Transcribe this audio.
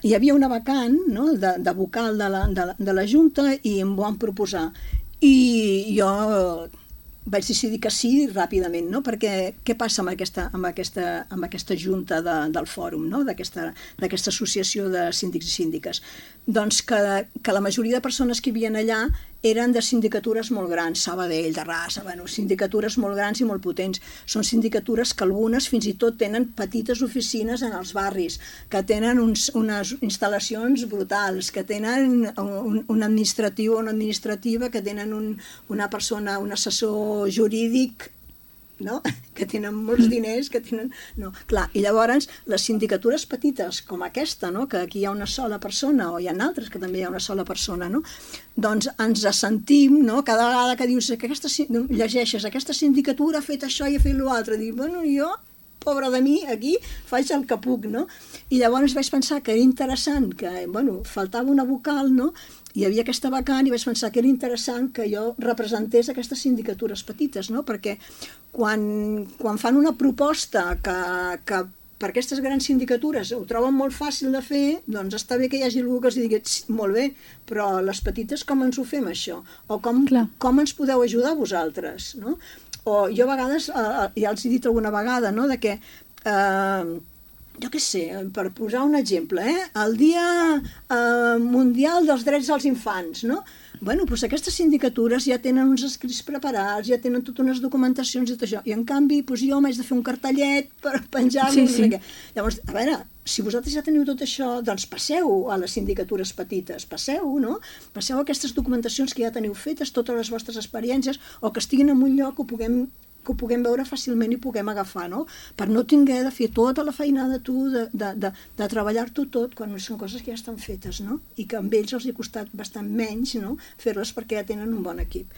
hi havia una vacant, no?, de vocal de la Junta i em van proposar. I jo vaig decidir que sí ràpidament, no? Perquè què passa amb aquesta junta del fòrum, no? D'aquesta associació de síndics i síndiques? Doncs que la majoria de persones que hi havia allà eren de sindicatures molt grans, Sabadell, Terrassa, bueno, sindicatures molt grans i molt potents. Són sindicatures que algunes fins i tot tenen petites oficines en els barris, que tenen unes instal·lacions brutals, que tenen un administratiu o una administrativa, que tenen una persona, un assessor jurídic, no? Que tenen molts diners, que tenen... No, clar, i llavors les sindicatures petites com aquesta, no? Que aquí hi ha una sola persona, o hi ha altres que també hi ha una sola persona, no? Doncs ens sentim, no? Cada vegada que dius, llegeixes, aquesta sindicatura ha fet això i ha fet l'altre, dius, bueno, jo, pobre de mi, aquí faig el que puc, no? I llavors vaig pensar que era interessant, que, bueno, faltava una vocal, no? Hi havia aquesta vacant i vaig pensar que era interessant que jo representés aquestes sindicatures petites, no? Perquè quan fan una proposta que per aquestes grans sindicatures ho troben molt fàcil de fer, doncs està bé que hi hagi algú que els digui, molt bé, però les petites com ens ho fem això? O com ens podeu ajudar vosaltres, no? O jo a vegades, ja els he dit alguna vegada, no?, de que jo què sé, per posar un exemple, el Dia Mundial dels Drets dels Infants, no? Bueno, doncs aquestes sindicatures ja tenen uns escrits preparats, ja tenen totes unes documentacions i tot això, i en canvi doncs jo m'haig de fer un cartellet per penjar-lo, no sé què. Llavors, a veure, si vosaltres ja teniu tot això, doncs passeu a les sindicatures petites, passeu, no? Passeu a aquestes documentacions que ja teniu fetes, totes les vostres experiències, o que estiguin en un lloc que ho puguem veure fàcilment i puguem agafar, no? Per no tinguer de fer tota la feinada tu, de treballar-t'ho tot, quan són coses que ja estan fetes, no? I que amb ells els ha costat bastant menys, no?, fer-les perquè ja tenen un bon equip.